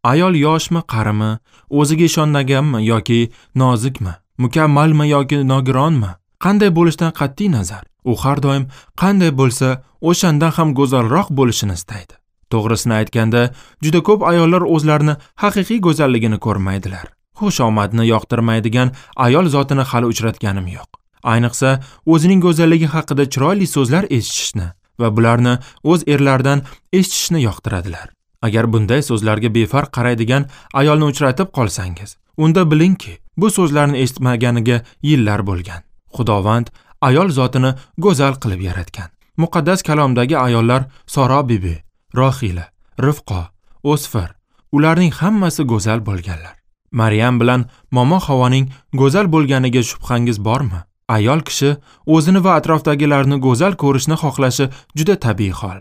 Ayol yoshmi, qarimi, o'ziga ishonmaganmi yoki nozikmi, mukammalmi yoki nogironmi, qanday bo'lishidan qat'iy nazar, u har doim qanday bo'lsa, o'shandan ham go'zalroq bo'lishini istaydi. To'g'risini aytganda, juda ko'p ayollar o'zlarini haqiqiy go'zalligini ko'rmaydilar. Xushomadni yoqtirmaydigan ayol zotini hali uchratganim yo'q. Ayniqsa, o'zining go'zalligi haqida chiroyli so'zlar eshitishni va bularni o'z erlaridan eshitishni yoqtiradilar. Agar bunday so'zlarga befarq qaraydigan ayolni uchratib qolsangiz, unda bilingki, bu so'zlarni eshitmaganiga yillar bo'lgan. Xudovand ayol zotini go'zal qilib yaratgan. Muqaddas kalomdagi ayollar Soro bibi, Rohila, Rifqo, O'sfir, ularning hammasi go'zal bo'lganlar. Maryam bilan Momo Havoning go'zal bo'lganiga shubhangiz bormi? Ayol kishi o'zini va atrofdagilarni go'zal ko'rishni xohlashi juda tabiiy hol.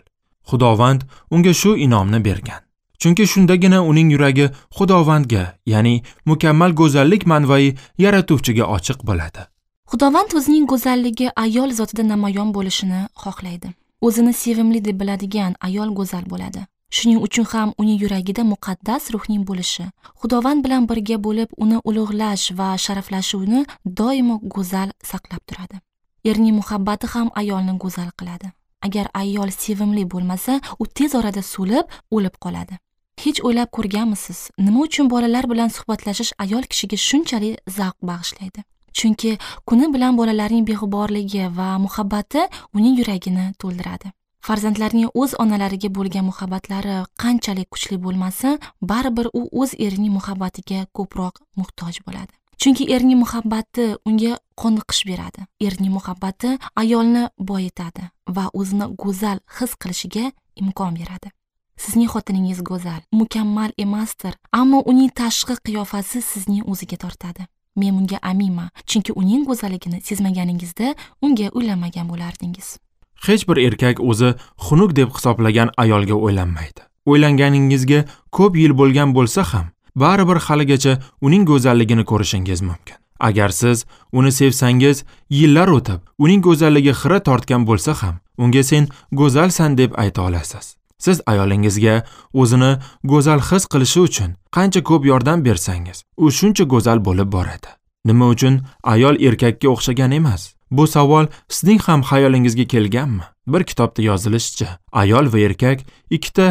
Xudovand unga shu inomni bergan. Chunki shundagina uning yuragi Xudovandga, ya'ni mukammal go'zallik manbai yaratuvchiga ochiq bo'ladi. Xudovand o'zining go'zalligi ayol zotida namoyon bo'lishini xohlaydi. O'zini sevimli deb biladigan ayol go'zal bo'ladi. Shuning uchun ham uning yuragida muqaddas ruhning bo'lishi, Xudovand bilan birga bo'lib uni ulug'lash va sharaflashuvni doimo go'zal saqlab turadi. Erning muhabbati ham ayolni go'zal qiladi. Agar ayol sevimli bo'lmasa, u tez orada so'lib, o'lib qoladi. Hech o'ylab ko'rganmisiz, nima uchun bolalar bilan suhbatlashish ayol kishiga shunchalik zavq bag'ishlaydi? Chunki kuni bilan bolalarning beg'uborligi va muhabbati uning yuragini to'ldiradi. Farzandlarning o'z onalariga bo'lgan muhabbatlari qanchalik kuchli bo'lmasin, baribir u o'z erining muhabbatiga ko'proq muhtoj bo'ladi. Chunki erning muhabbati unga qoniqish beradi. Erning muhabbati ayolni boyitadi va o'zini go'zal his qilishiga imkon beradi. Sizning xotiningiz go'zal, mukammal emasdir, ammo uning tashqi qiyofasi sizning o'ziga tortadi. Men bunga aminman, chunki uning go'zalligini sezmaganingizda unga uylanmagan bo'lardingiz. Hech bir erkak o'zi xunuk deb hisoblagan ayolga o'ylanmaydi. O'ylanganingizga ko'p yil bo'lgan bo'lsa ham, baribir haligacha uning go'zalligini ko'rishingiz mumkin. Agar siz uni sevsangiz, yillar o'tib uning go'zalligi xira tortgan bo'lsa ham, unga sen go'zalsan deb ayta olasiz. Siz ayolingizga o'zini go'zal his qilishi uchun qancha ko'p yordam bersangiz, u shuncha go'zal bo'lib boradi. Nima uchun ayol erkakka o'xshagan emas? Bu savol sizning ham xayolingizga kelganmi? Bir kitobda yozilishicha, ayol va erkak ikkita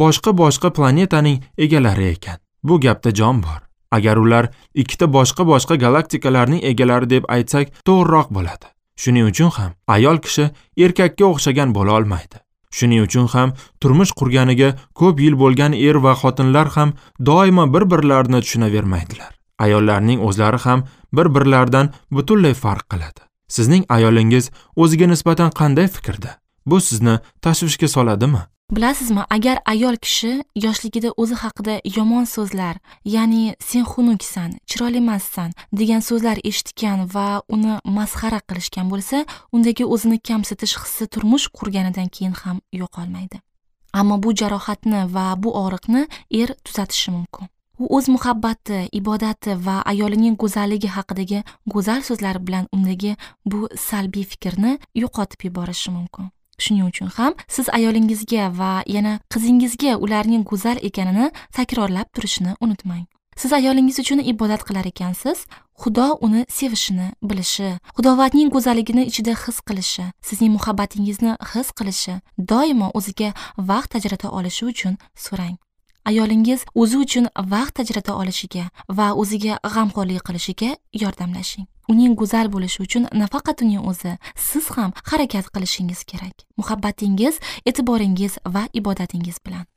boshqa-boshqa planetaning egalari ekan. Bu gapda jon bor. Agar ular ikkita boshqa-boshqa galaktikalarning egalari deb aytsak, to'g'riroq bo'ladi. Shuning uchun ham ayol kishi erkakka o'xshagan bo'la olmaydi. Shuning uchun ham turmush qurganiga ko'p yil bo'lgan er va xotinlar ham doimo bir-birlarini tushunavermaydilar. Ayollarning o'zlari ham bir-birlaridan butunlay farq qiladi. Sizning ayolingiz o'ziga nisbatan qanday fikrda? Bu sizni tashvishga soladimi? Bilasizmi, agar ayol kishi yoshligida o'zi haqida yomon so'zlar, ya'ni sen xunuksan, chiroyli emassan degan so'zlar eshitgan va uni masxara qilishgan bo'lsa, undagi o'zini kamsitish hissi turmush qurganidan keyin ham yo'qolmaydi. Ammo bu jarohatni va bu og'riqni er tuzatishi mumkin. U o'z muhabbati, ibodati va ayolining go'zalligi haqidagi go'zal so'zlar bilan undagi bu salbiy fikrni yo'qotib yuborishi mumkin. Shuning uchun ham siz ayolingizga va yana qizingizga ularning go'zal ekanini takrorlab turishni unutmang. Siz ayolingiz uchun ibodat qilar ekansiz, Xudo uni sevishini bilishi, Xudovandning go'zalligini ichida his qilishi, sizning muhabbatingizni his qilishi, doimo o'ziga vaqt ajrata olishi uchun so'rang. Ayolingiz o'zi uchun vaqt ajrata olishiga va o'ziga g'amxo'rlik qilishiga yordamlashing. Uning go'zal bo'lishi uchun nafaqat uning o'zi, siz ham harakat qilishingiz kerak. Muhabbatingiz, e'tiboringiz va ibodatingiz bilan.